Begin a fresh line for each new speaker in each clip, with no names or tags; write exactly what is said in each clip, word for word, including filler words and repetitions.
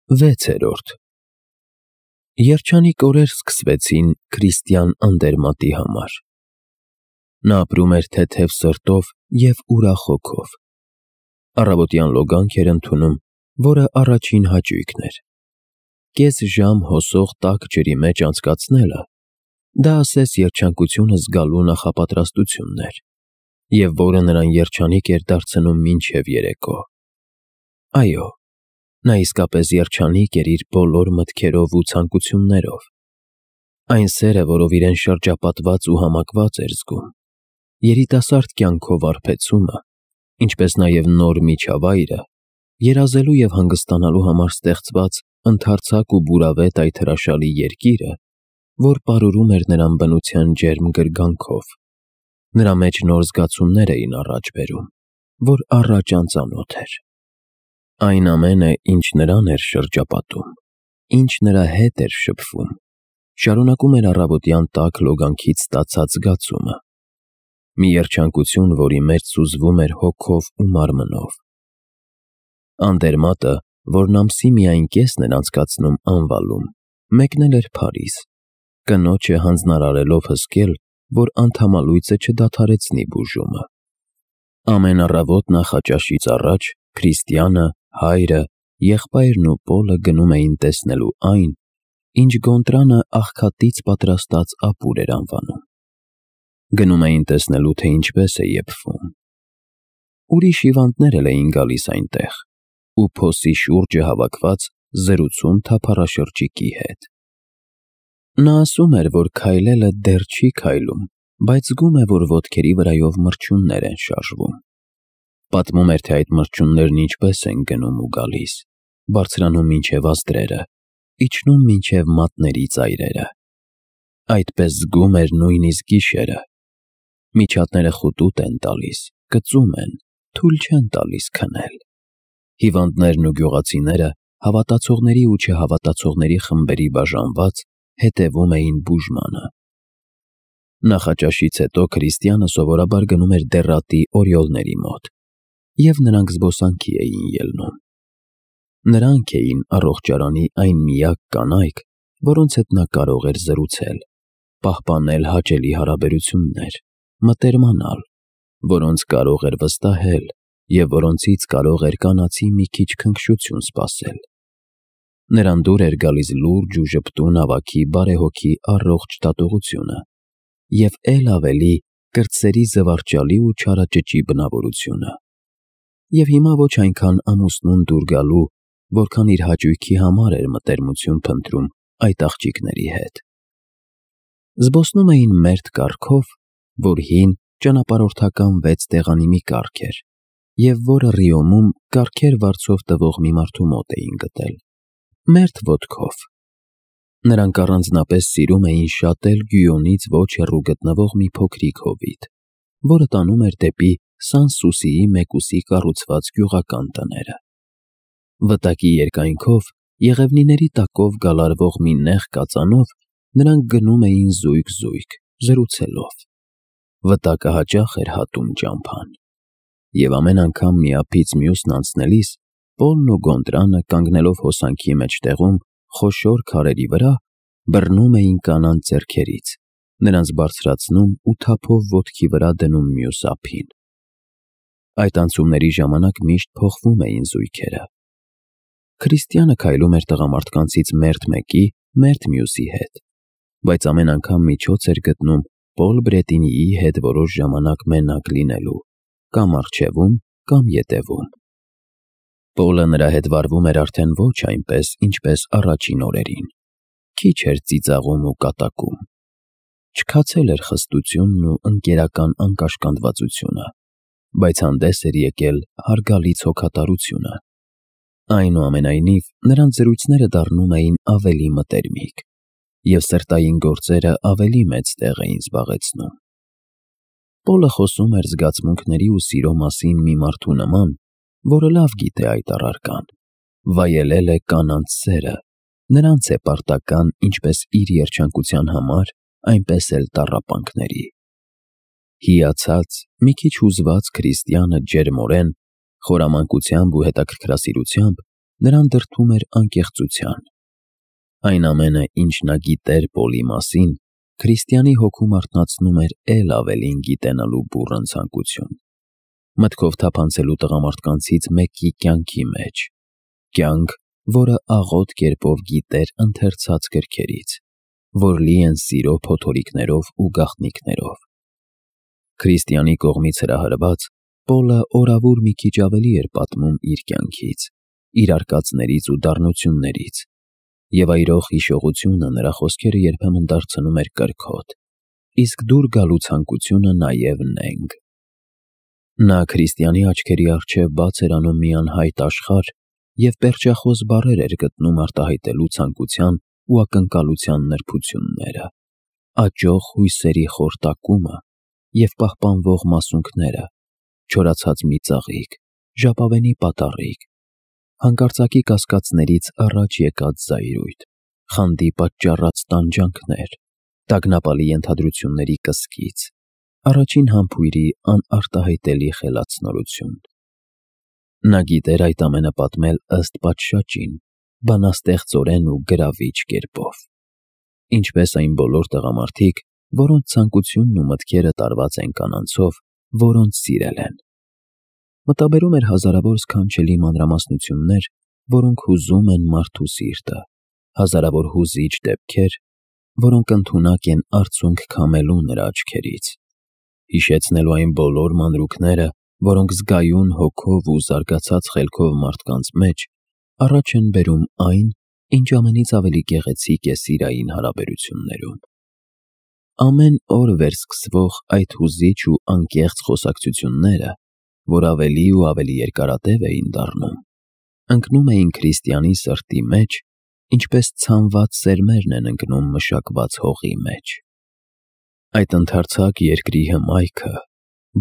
Վեցերորդ Երջանիկ օրեր սկսվեցին Քրիստիան Անդերմատի համար։ Նա ապրում էր թեթև սրտով և ուրախ հոգով։ Առավոտյան լոգանք էր ընդունում, որը առաջին հաճույքն էր։ Կես ժամ հոսող տաք ջրի մեջ անցկացնելը դա ասես երջանկությունը զգալու նախապատրաստությունն էր, և որը նրան երջանիկ էր դարձնում մինչև երեկո։ Այո, նա իսկապես երջանիկ էր իր բոլոր մտքերով ու ցանկություններով։ Այն սերը, որով իրեն շրջապատված ու համակված էր զգում, երիտասարդ կյանքով վարպեցումը, ինչպես նաև նոր միջավայրը, երազելու և հանգստանալու համար ստեղծված ընդարձակ ու բուրավետ այդ հրաշալի երկիրը, որ պարուրում էր նրան բնության ջերմ գրգանքով, նրա մեջ նոր զգացումներ էին առաջ բերում, որ առաջ անծանոթ էր։ Այն ամենը, ինչ նրան էր շրջապատում, ինչ նրա հետ էր շփվում, շարունակում էր առավոտյան տաք լոգանքից ստացած զգացումը, մի երջանկություն, որի մեջ սուզվում էր հոգով ու մարմնով։ Անդերմատը, որն ամսի միայն կեսն էր անցկացնում անվալում, մեկնել էր Փարիզ, կնոջը հանձնարարելով հսկել, որ անդամալույծը չդադարեցնի բուժումը։ Ամեն առավոտ նախաճաշից առաջ Քրիստիանը, հայրը, եղբայրն ու Պոլը գնում էին տեսնելու այն, ինչ Գոնտրանը աղքատից պատրաստած ապուր էր անվանում։ Գնում էին տեսնելու, թե ինչպես է եփվում։ Ուրիշ հիվանդներ էլ էին գալիս այնտեղ ու փոսի շուրջը հավաքված զրուցում թափառաշրջիկի հետ։ Նա ասում էր, որ քայլելը դեռ չի քայլում, բայց զգում է, որ ոտքերի վրայով մրջյուններ են շարժվում։ Պատմում էր, թե այդ մրջյուններն ինչպես են գնում ու գալիս, բարձրանում մինչև ազդրերը, իջնում մինչև մատների ծայրերը։ Այդպես զգում էր նույնիսկ գիշերը։ Միջատները խուտուտ են տալիս, կծում են, թույլ չեն տալիս քնել։ Հիվանդներն ու գյուղացիները, հավատացողների ու չհավատացողների խմբերի բաժանված, հետևում էին բուժմանը։ Նախաճաշից հետո Քրիստիանը սովորաբար գնում էր դեռատի օրիոլների մոտ, և նրանք զբոսանքի էին ելնում։ Նրանք էին առողջարանի այն միակ կանայք, որոնց հետ նա կարող էր զրուցել, պահպանել հաճելի հարաբերություններ, մտերմանալ, որոնց կարող էր վստահել և որոնցից կարող էր կանացի մի քիչ քնքշություն սպասել։ Նրան դուր էր գալիս լուրջ ու ժպտուն ավագի բարեհոգի առողջ դատողությունը և էլ ավելի կրտսերի զվարճալի ու չարաճճի բնավորությունը։ Եվ հիմա ոչ այնքան ամուսնուն դուր գալու, որքան իր հաճույքի համար էր մտերմություն փնտրում այդ աղջիկների հետ։ Զբոսնում էին մերթ կառքով, որ հին ճանապարհորդական վեց տեղանի մի կառք էր, և որը Ռիոմում կառքեր վարձով տվող մի մարդու մոտ էին գտել։ Մերթ ոտքով։ Նրանք առանձնապես սիրում էին շատել Գյույոնից ոչ հեռու գտնվող մի փոքրիկ հովիտ, որը տանում էր դեպի Սան֊Սուսիի մեկուսի կառուցված գյուղական տները։ Վտակի երկայնքով, եղևնիների տակով գալարվող մի նեղ կածանով նրանք գնում էին զույգ-զույգ, զրուցելով։ Վտակը հաճախ էր հատում ճամփան։ Եվ ամեն անգամ միափից մյուսն անցնելիս Պոլն ու Գոնտրանը, կանգնելով հոսանքի մեջտեղում խոշոր քարերի վրա, բռնում էին կանանց ձեռքերից, նրանց բարձրացնում ու թափով ոտքի վրա դնում մյուս ափին։ Այդ անցումների ժամանակ միշտ փոխվում էին զույգերը։ Քրիստիանը քայլում էր տղամարդկանցից մերթ մեկի, մերթ մյուսի հետ, բայց ամեն անգամ միջոց էր գտնում Պոլ Բրետինիի հետ որոշ ժամանակ մենակ լինելու, կամ առջևում, կամ ետևում։ Պոլը նրա հետ վարվում էր արդեն ոչ այնպես, ինչպես առաջին օրերին, քիչ էր ծիծաղում ու կատակում։ Չքացել էր խստությունն ու ընկերական անկաշկանդվածությունը, բայց հանդես էր եկել հարգալից հոգատարությունը։ Այնուամենայնիվ, նրանց զրույցները դառնում էին ավելի մտերմիկ, և սրտային գործերը ավելի մեծ տեղ էին զբաղեցնում։ Պոլը խոսում էր զգացմունքների ու սիրո մասին մի մարդու նման, որը լավ գիտե այդ առարկան, վայելել է կանանց սերը, նրանց է պարտական ինչպես իր երջանկության համար, այնպես էլ տառապանքների։ Հիացած, մի քիչ հուզված Քրիստիանը ջերմորեն, խորամանկությամբ ու հետաքրքրասիրությամբ նրան դրդում էր անկեղծության։ Այն ամենը, ինչ նա գիտեր Պոլի մասին, քրիստիանի հոգում արթնացնում էր էլ ավելին գիտենալու բուռն ցանկություն, մտքով թափանցելու տղամարդկանցից մեկի կյանքի մեջ, կյանք, որը աղոտ կերպով գիտեր ընթերցած գրքերից, որ լի են սիրո փոթորիկներով ու գաղտնիքներով։ Քրիստիանի կողմից հրահրված, Պոլը օրավուր մի քիչ ավելի էր պատմում իր կյանքից, իր արկածներից ու դառնություններից, և այրող հիշողությունը նրա խոսքերը երբեմն դարձնում էր կրքոտ, իսկ դուր գալու ցանկությունը նաև նենգ։ Նա քրիստիանի աչքերի առջև բաց էր անում մի անհայտ աշխարհ և պերճախոս բառեր էր գտնում արտահայտելու ցանկության ու ակնկալության նրբությունները, աճող հույսերի խորտակումը և պահպանվող մասունքները, չորացած մի ծաղիկ, ժապավենի պատառիկ, հանկարծակի կասկածներից առաջ եկած զայրույթ, խանդի պատճառած տանջանքներ, տագնապալի ենթադրությունների կսկիծ, առաջին համբույրի անարտահայտելի խելացնորություն։ Նա գիտեր այդ ամենը պատմել ըստ պատշաճին, բանաստեղծորեն ու գրավիչ կերպով, ինչպես այն բոլոր տղամարդիկ, որոնց ցանկությունն ու մտքերը տարված են կանանցով, որոնց սիրել են։ Մտաբերում էր հազարավոր սքանչելի մանրամասնություններ, որոնք հուզում են մարդու սիրտը, հազարավոր հուզիչ դեպքեր, որոնք ընդունակ են արցունք քամելու նրա աչքերից, հիշեցնելու այն բոլոր մանրուքները, որոնք զգայուն հոգով ու զարգացած խելքով մարդկանց մեջ առաջ են բերում այն, ինչ ամենից ավելի գեղեցիկ է սիրային հարաբերություններում։ Ամեն օր վերսկսվող այդ հուզիչ ու անկեղծ խոսակցությունները, որ ավելի ու ավելի երկարատև էին դառնում, ընկնում էին քրիստիանի սրտի մեջ, ինչպես ցանված սերմերն են ընկնում մշակված հողի մեջ։ Այդ ընդարձակ երկրի հմայքը,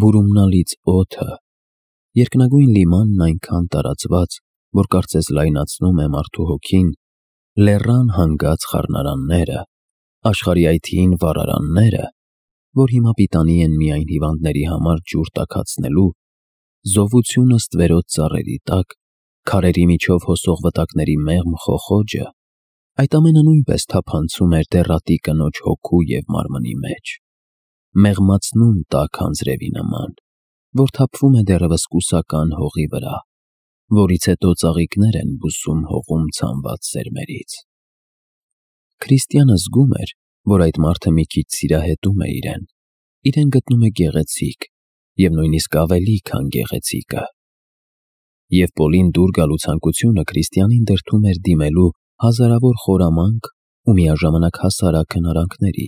բուրումնալից օդը, երկնագույն լիմանն այնքան տարածված, որ կարծես լայնացնում է մարդու հոգին, լեռան հանգած խառնարանները, աշխարհի այդ հին վառարանները, որ հիմա պիտանի են միայն հիվանդների համար ջուր տաքացնելու, զովությունը ստվերոտ ծառերի տակ, քարերի միջով հոսող վտակների մեղմ խոխոջը, այդ ամենը նույնպես թափանցում էր դեռատի կնոջ հոգու և մարմնի մեջ, մեղմացնում տաք անձրևի նման, որ թափվում է դեռևս կուսական հողի վրա, որից հետո ծաղիկներ են բուսում հողում ցանված սերմերից։ Քրիստիանը զգում էր, որ այդ մարդը մի քիչ սիրահետում է իրեն, իրեն գտնում է գեղեցիկ և նույնիսկ ավելի, քան գեղեցիկը։ Եվ Պոլին դուր գալու ցանկությունը քրիստիանին դրդում էր դիմելու հազարավոր խորամանկ ու միաժամանակ հասարակ հնարանքների,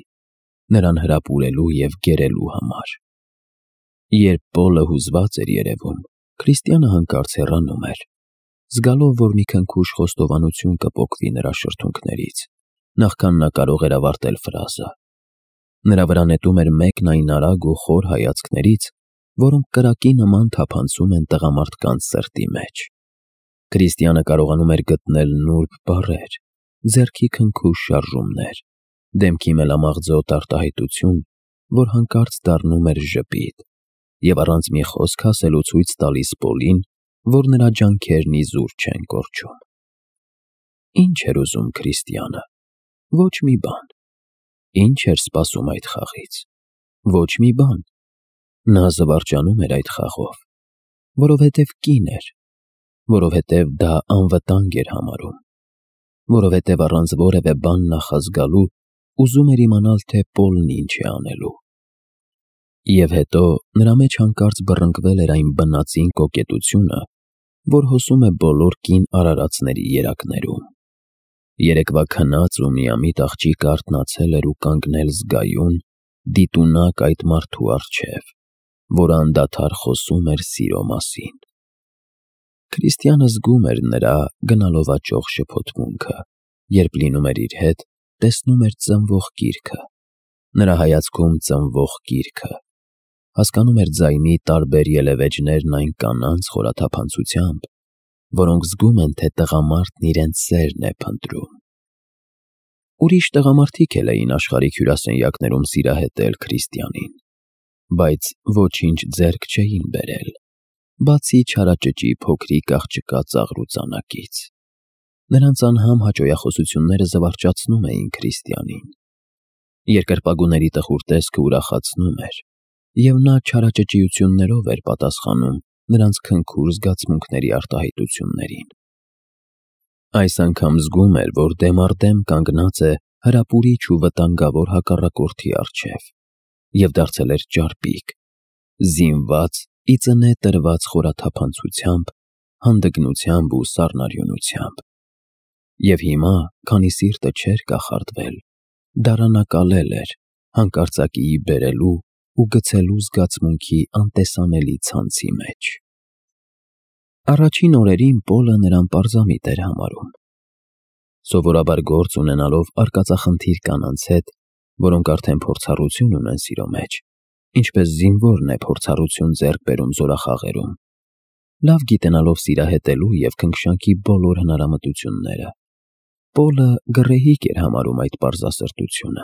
նրան հրապուրելու և գերելու համար։ Երբ Պոլը հուզված էր երևում, քրիստիանը հանկարծ հեռանում էր, զգալով, որ մի քնքուշ խոստովանություն կպոկվի նրա շրթունքներից, նախքան նա կարող էր ավարտել ֆրազը։ Նրա վրա նետում էր մեկն այն արագ ու խոր հայացքներից, որոնք կրակի նման թափանցում են տղամարդկանց սրտի մեջ։ Քրիստիանը կարողանում էր գտնել նուրբ բառեր, ձեռքի քնքուշ շարժումներ, դեմքի մելամաղձոտ արտահայտություն, որ հանկարծ դառնում էր ժպիտ և առանց մի խոսք ասելու ցույց տալիս Պոլին, որ նրա ջանքերն իզուր չեն կորչում։ Ինչ էր ուզում քրիստիանը։ Ոչ մի բան։ Ինչ էր սպասում այդ խաղից։ Ոչ մի բան։ Նա զվարճանում էր այդ խաղով, որովհետև կին էր, որովհետև դա անվտանգ էր համարում, որովհետև առանց որևէ բան նախազգալու ուզում էր իմանալ, թե Պոլն ինչ է անելու։ Եվ հետո նրա մեջ հանկարծ բռնկվել էր այն բնածին կոկետությունը, որ հոսում է բոլոր կին արարածների երակներում։ Երեկվա քնած ու միամիտ աղջիկը արթնացել էր ու կանգնել զգայուն, դիտունակ այդ մարդու առջև, որը անդադար խոսում էր սիրո մասին։ Քրիստիանը զգում էր նրա գնալով աճող շփոթմունքը, երբ լինում էր իր հետ, տեսնում էր ծնվող գիրքը, նրա հայացքում ծնվող գիրքը, հասկանում էր ձայնի տարբեր ելևէջներն այն կանանց խորաթափանցությամբ, որոնք զգում են, թե տղամարդն իրենց սերն է փնտրում։ Ուրիշ տղամարդիկ էլ էին աշխարհիկ հյուրասենյակներում սիրահետել քրիստիանին, բայց ոչինչ ձեռք չէին բերել, բացի չարաճճի փոքրիկ աղջկա ծաղրուծանակից։ Նրանց անհամ հաճոյախոսությունները զվարճացնում էին Քրիստիանին։ Երկրպագուների տխուր տեսքը ուրախացնում էր, և նա չարաճճիություններով էր պատասխանում նրանց քնքուր զգացմունքների արտահայտություններին։ Այս անգամ զգում էր, որ դեմ առ դեմ կանգնած է հրապուրիչ ու վտանգավոր հակառակորդի առջև և դարձել էր ճարպիկ, զինված ի ծնե տրված խորաթափանցությամբ, հանդգնությամբ ու սառնարյունությամբ։ Եվ հիմա, քանի սիրտը չէր կախարդվել, դարանակալել էր հանկարծակիի բերելու ու գցելու զգացմունքի անտեսանելի ցանցի մեջ։ Առաջին օրերին Պոլը նրան պարզամիտ էր համարում։ Սովորաբար գործ ունենալով արկածախնդիր կանանց հետ, որոնք արդեն փորձառություն ունեն սիրո մեջ, ինչպես զինվորն է փորձառություն ձեռք բերում զորախաղերում, լավ գիտենալով սիրահետելու և քնքշանքի բոլոր հնարամտությունները, Պոլը գռեհիկ էր համարում այդ պարզասրտությունը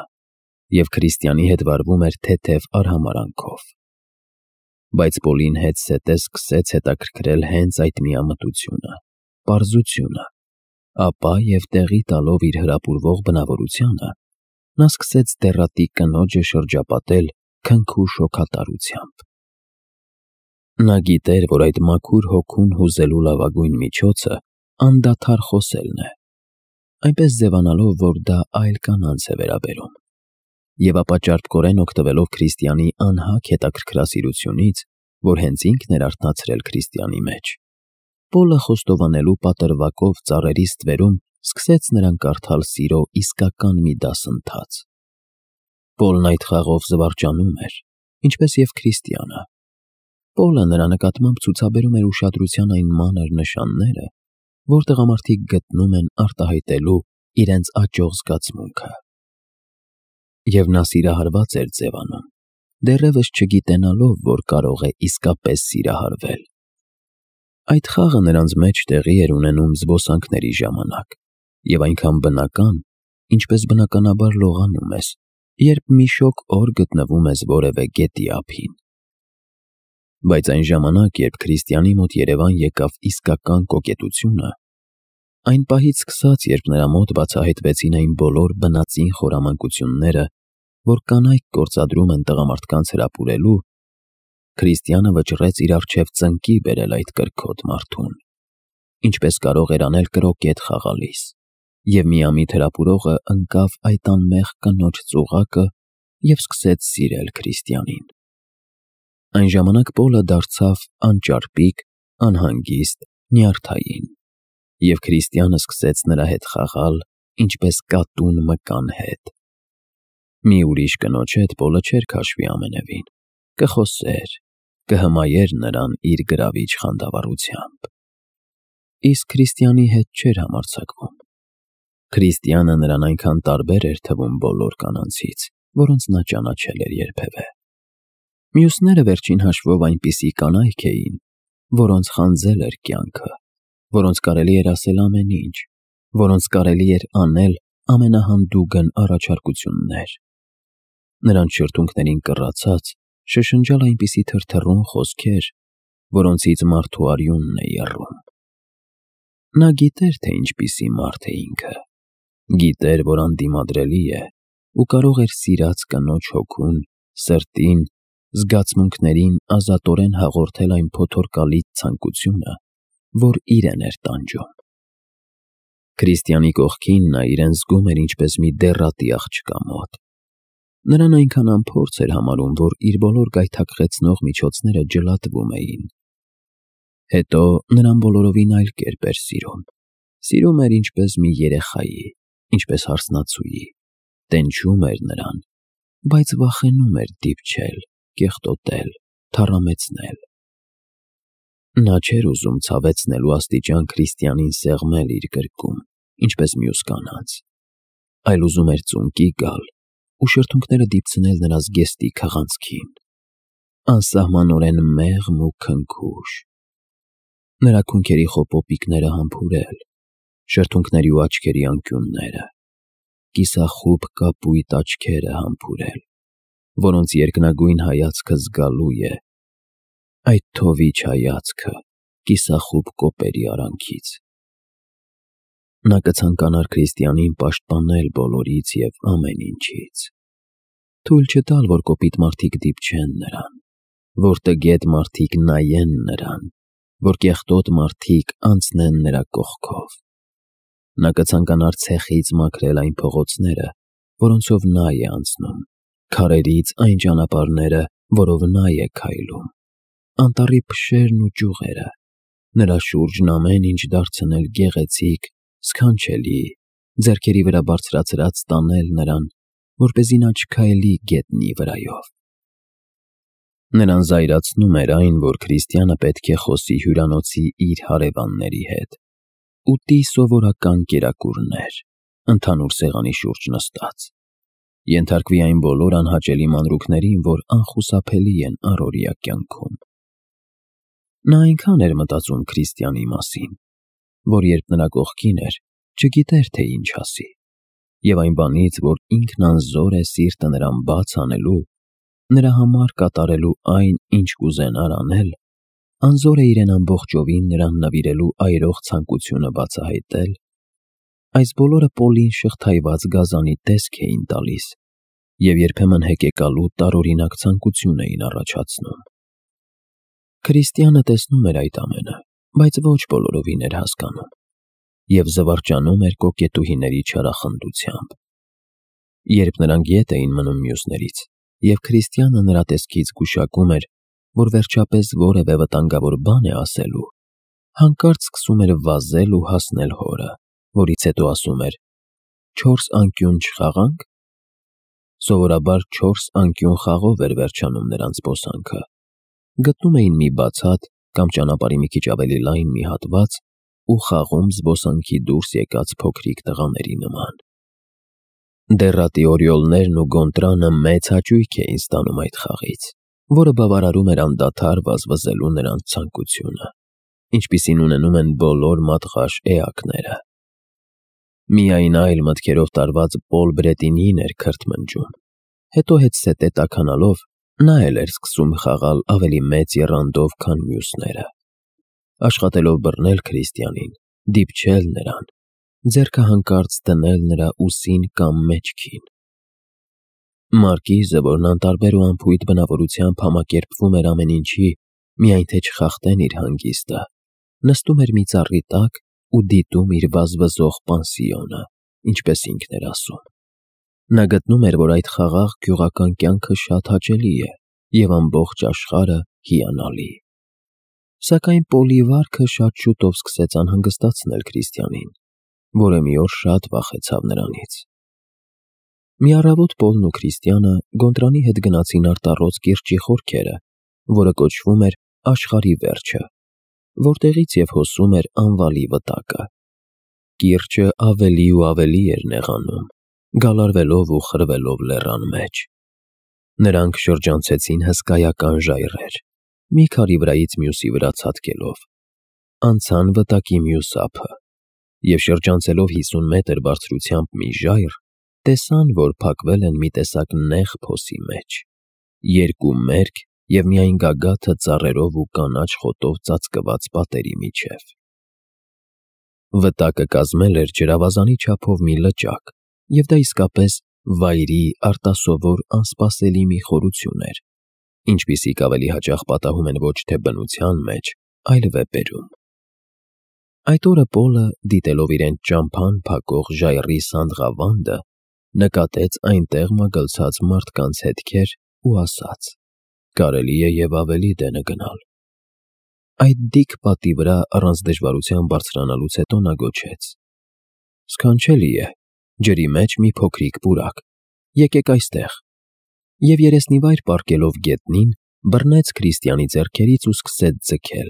և Քրիստիանի հետ վարվում էր թեթև արհամարհանքով։ Բայց Պոլին հետզհետե սկսեց հետաքրքրել հենց այդ միամտությունը, պարզությունը, ապա և տեղի տալով իր հրապուրվող բնավորությանը, նա սկսեց դեռատի կնոջը շրջապատել քնքուշ հոգատարությամբ։ Նա գիտեր, որ այդ մաքուր հոգուն հուզելու լավագույն միջոցը անդադար խոսելն է, այնպես ձևանալով, որ դա այլ կանանց է վերաբերում, և ապա ճարպկորեն օգտվելով Քրիստիանի անհագ հետաքրքրասիրությունից, որ հենց ինքն էր արթնացրել Քրիստիանի մեջ, Պոլը խոստովանելու պատրվակով ծառերի ստվերում սկսեց նրան կարդալ սիրո իսկական մի դասընթաց։ Պոլն այդ խաղով զվարճանում էր, ինչպես և Քրիստիանը։ Պոլը նրա նկատմամբ ցուցաբերում էր ուշադրության այն մանր նշանները, որ տղամարդիկ գտնում են արտահայտելու իրենց աճող զգացմունքը։ Եվ նա սիրահարված էր ձևանում, դեռևս չգիտենալով, որ կարող է իսկապես սիրահարվել։ Այդ խաղը նրանց մեջ տեղի էր ունենում զբոսանքների ժամանակ և այնքան բնական, ինչպես բնականաբար լողանում ես, երբ մի շոգ օր գտնվում ես որևէ գետի ափին։ Բայց այն ժամանակ, երբ Քրիստիանի մոտ երևան եկավ իսկական կոկետությունը, այն պահից սկսած, երբ նրա մոտ բացահայտվեցին այն բոլոր բնածին խորամանկությունները, որ կանայք գործադրում են տղամարդկանց հրապուրելու, Քրիստիանը վճռեց իր առջև ծնկի բերել այդ կրքոտ մարդուն, ինչպես կարող էր անել կրոկետ խաղալիս, և միամիտ հրապուրողը ընկավ այդ անմեղ կնոջ ծուղակը և սկսեց սիրել Քրիստիանին։ Այն ժամանակ Պոլը դարձավ անճարպիկ, անհանգիստ, նյարդային, և Քրիստիանը սկսեց նրա հետ խաղալ, ինչպես կատուն մկան հետ։ Մի ուրիշ կնոջ հետ Պոլը չէր քաշվի ամենևին, կխոսեր, կհմայեր նրան իր գրավիչ խանդավառությամբ։ Իսկ Քրիստիանի հետ չէր համարձակվում։ Քրիստիանը նրան այնքան տարբեր էր թվում բոլոր կանանցից, որոնց նա ճանաչել էր երբևէ։ Մյուսները վերջին հաշվով այնպիսի կանայք էին, որոնց խանձել էր կյանքը, որոնց կարելի էր ասել ամեն ինչ, որոնց կարելի էր անել ամենահանդուգն առաջարկություններ։ Նրանց շրթունքներին կռացած շշնջալ այնպիսի թրթռուն խոսքեր, որոնցից մարդու արյունն է եռում։ Նա գիտեր, թե ինչպիսի մարդ է ինքը, գիտեր, որ անդիմադրելի է ու կարող էր սիրած կնոջ հոգուն, սրտին, զգացմունքներին ազատորեն հաղորդել այն փոթորկալից ցանկությունը, որ իրեն էր տանջում։ Քրիստիանի կողքին նա իրեն զգում էր ինչպես մի դեռատի աղջկա մոտ։ Նրան այնքան անփորձ էր համարում, որ իր բոլոր գայթակղեցնող միջոցները ջլատվում էին։ Հետո նրան բոլորովին այլ կերպ էր սիրում։ Սիրում էր ինչպես մի երեխայի, ինչպես հարսնացուի, տենչում էր նրան, բայց վախենում էր դիպչել, կեղտոտել, թառամեցնել։ Նա չէր ուզում ցավեցնելու աստիճան Քրիստիանին սեղմել իր գրկում, ինչպես մյուս կանանց, այլ ուզում էր ծունկի գալ ու շրթունքները դիպցնել նրա զգեստի քղանցքին, անսահմանորեն մեղմ ու քնքուշ, նրա քունքերի խոպոպիկները համբուրել, շրթունքների ու աչքերի անկյունները, կիսախուբ կապույտ աչքերը համբուրել, որոնց երկնագույն հայացքը զգալու է, այդ թովիչ հայացքը կիսախուբ կոպերի արանքից։ Նա կցանկանար քրիստիանին պաշտպանել բոլորից և ամեն ինչից, թույլ չտալ, որ կոպիտ մարդիկ դիպչեն նրան, որ տգետ մարդիկ նայեն նրան, որ կեղտոտ մարդիկ անցնեն նրա կողքով։ Նա կցանկանար ցեխից մաքրել այն փողոցները, որոնցով նա է անցնում, քարերից այն ճանապարհները, որով նա է քայլում, անտառի փշերն ու ճյուղերը, նրա շուրջն ամեն ինչ դարձնել գեղեցիկ, սքանչելի, ձեռքերի վրա բարձրացրած տանել նրան, որպեսզի նա չքայլի գետնի վրայով։ Նրան զայրացնում էր այն, որ քրիստյանը պետք է խոսի հյուրանոցի իր հարևանների հետ, ուտի սովորական կերակուրներ, ընդհանուր սեղանի շուրջ նստած, ենթարկվի այն բոլոր անհաճելի մանրուքներին, որ անխուսափելի են առօրյա կյանքում։ Նա այնքան էր մտածում քրիստյանի մասին, որ երբ նրա կողքին էր, չգիտեր, թե ինչ ասի, և այն բանից, որ ինքն անզոր է սիրտը նրան բաց անելու, նրա համար կատարելու այն, ինչ կուզենար անել, անզոր է իրեն ամբողջովին նրան նվիրելու այրող ցանկությունը բացահայտել, այս բոլորը Պոլին շղթայված գազանի տեսք էին տալիս և երբեմն հեկեկալու տարօրինակ ցանկություն էին առաջացնում։ Քրիստյանը տեսնում էր այդ ամենը, բայց ոչ բոլորովին էր հասկանում և զվարճանում էր կոկետուհիների չարախնդությամբ։ Երբ նրանք ետ էին մնում մյուսներից, և քրիստյանը նրա տեսքից գուշակում էր, որ վերջապես որևէ վտանգավոր բան է ասելու, հանկարծ սկսում էր վազել ու հասնել հորը, որից հետո ասում էր. «Չորս անկյուն չխաղա՞նք»։ Սովորաբար չորս անկյուն խաղով էր վերջանում նրանց զբոսանքը։ Գտնում էին մի բաց հատ կամ ճանապարհի մի քիչ ավելի լայն մի հատված ու խաղում զբոսանքի դուրս եկած փոքրիկ տղաների նման։ Դեռատի օրիոլներն ու Գոնտրանը մեծ հաճույք էին ստանում այդ խաղից, որը բավարարում էր անդադար վազվզելու նրանց ցանկությունը, ինչպիսին ունենում են բոլոր մատղաշ էակները։ Միայն այլ մտքերով տարված Պոլ Բրետինին էր քրթմնջում, հետո հետզհետե տաքանալով նա էլ էր սկսում խաղալ ավելի մեծ եռանդով, քան մյուսները, աշխատելով բռնել քրիստյանին, դիպչել նրան, ձեռքը հանկարծ դնել նրա ուսին կամ մեջքին։ Մարկիզը, որն անտարբեր ու անփույթ բնավորությամբ համակերպվում էր ամեն ինչի, միայն թե չխախտեն իր հանգիստը, նստում էր մի ծառի տակ ու դիտում իր վազվզող պանսիոնը, ինչպես ինքն էր ասում։ Նա գտնում էր, որ այդ խաղաղ գյուղական կյանքը շատ հաճելի է և ամբողջ աշխարհը հիանալի։ Սակայն Պոլի վարքը շատ շուտով սկսեց անհանգստացնել քրիստյանին, որը մի օր շատ վախեցավ նրանից։ Մի առավոտ Պոլն ու քրիստյանը Գոնտրանի հետ գնացին արտառոց կիրճի խորքերը, որը կոչվում էր Աշխարհի Վերջը, որտեղից և հոսում էր անվալի վտակը։ Կիրճը ավելի ու ավելի էր նեղանում, գալարվելով ու խրվելով լեռան մեջ։ Նրանք շրջանցեցին հսկայական ժայռեր, մի քարի վրայից մյուսի վրա ցատկելով, անցան վտակի մյուս ափը և շրջանցելով հիսուն մետր բարձրությամբ մի ժայռ, տեսան, որ փակվել են մի տեսակ նեղ փոսի մեջ, երկու մերկ և միայն գագաթը ծառերով ու կանաչ խոտով ծածկված պատերի միջև։ Վտակը կազմել էր ջրավազանի չափով մի լճակ, և դա իսկապես վայրի արտասովոր անսպասելի մի խորություն էր, ինչպիսիք ավելի հաճախ պատահում են ոչ թե բնության մեջ, այլ վեպերում։ Այդ օրը Պոլը, դիտելով իրեն ճամփան փակող ժայռի սանդղավանդը, նկատեց այնտեղ մագլցած մարդկանց հետքեր ու ասաց. «Կարելի է և ավելի դենը գնալ»։ Այդ դիք պատի վրա առանց դժվարության բարձրանալուց հետո նա գոչեց. «Սքանչելի է, ջրի մեջ մի փոքրիկ պուրակ, եկեք այստեղ», և երեսնիվայր պառկելով գետնին, բռնեց քրիստյանի ձեռքերից ու սկսեց ձգել,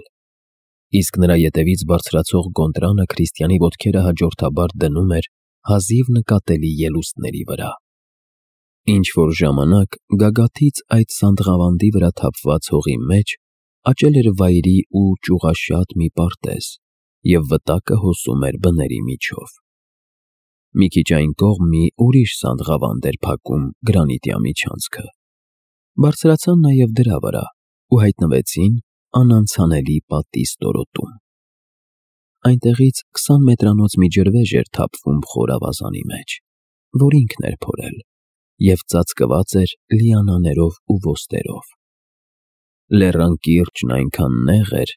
իսկ նրա ետևից բարձրացող Գոնտրանը քրիստյանի ոտքերը հաջորդաբար դնում էր հազիվ նկատելի ելուստների վրա։ Ինչ-որ ժամանակ գագաթից այդ սանդղավանդի վրա թափված հողի մեջ աճել էր վայրի ու ճյուղաշատ մի պարտեզ, և վտակը հոսում էր բների միջով։ Մի քիչ այն կողմ մի ուրիշ սանդղավանդ էր փակում գրանիտյա միջանցքը։ Բարձրացան նաև դրա վրա ու հայտնվեցին անանցանելի պատի ստորոտում։ այնտեղից քսան մետրանոց մի ջրվեժ էր թափվում խոր ավազանի մեջ, որ ինքն էր փորել, և ծածկված էր լիանաներով ու ոստերով։ Լեռան կիրճն այնքան նեղ էր,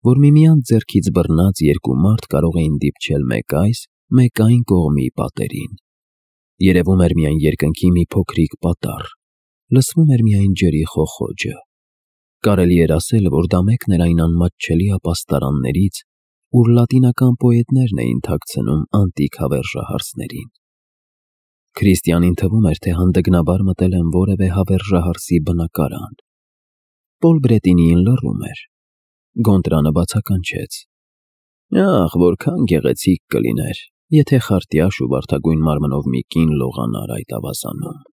որ միմյանց ձեռքից բռնած երկու մարդ կարող էին դիպչել մեկ այս, մեկ այն կողմի պատերին։ Երևում էր միայն երկնքի մի փոքրիկ պատառ, լսվում էր միայն ջրի խոխոջը։ Կարելի էր ասել, որ դա մեկն էր այն անմատչելի ապաստարաններից, ուր լատինական պոետներն էին թաքցնում անտիկ հավերժահարսներին։ Քրիստիանին թվում էր, թե հանդգնաբար մտել են որևէ հավերժահարսի բնակարան։ Պոլ Բրետինիին լռում էր։ Գոնտրանը բացականչեց. «Ախ, որքան գեղեցիկ կլիներ, եթե խարտյաշ ու վարդագույն մարմնով մի կին լողանար այդ ավազանում»։